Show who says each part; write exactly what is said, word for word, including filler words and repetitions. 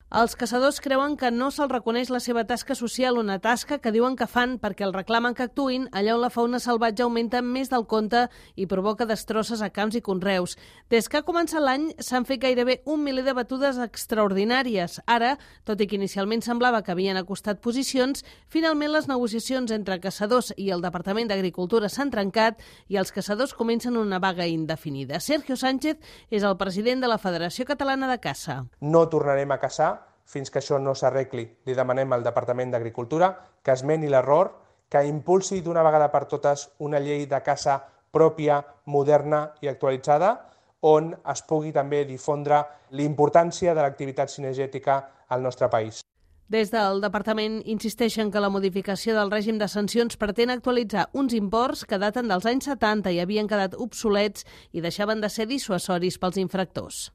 Speaker 1: Els caçadors creuen que no se'ls reconeix la seva tasca social, una tasca que diuen que fan perquè el reclamen que actuïn allà on la fauna salvatge augmenta més del compte i provoca destrosses a camps i conreus. Des que ha començat l'any s'han fet gairebé un miler de batudes extraordinàries. Ara, tot i que inicialment semblava que havien acostat posicions, finalment les negociacions entre caçadors i el Departament d'Agricultura s'han trencat i els caçadors comencen una vaga indefinida. Sergio Sánchez és el president de la Federació Catalana de Caça.
Speaker 2: No tornarem a caçar fins que això no s'arregli. Li demanem al Departament d'Agricultura que esmeni l'error, que impulsi d'una vegada per totes una llei de caça pròpia, moderna i actualitzada, on es pugui també difondre l'importància de l'activitat cinegètica al nostre país.
Speaker 1: Des del departament insisteixen que la modificació del règim de sancions pretén actualitzar uns imports que daten dels anys setanta i havien quedat obsolets i deixaven de ser dissuasoris pels infractors.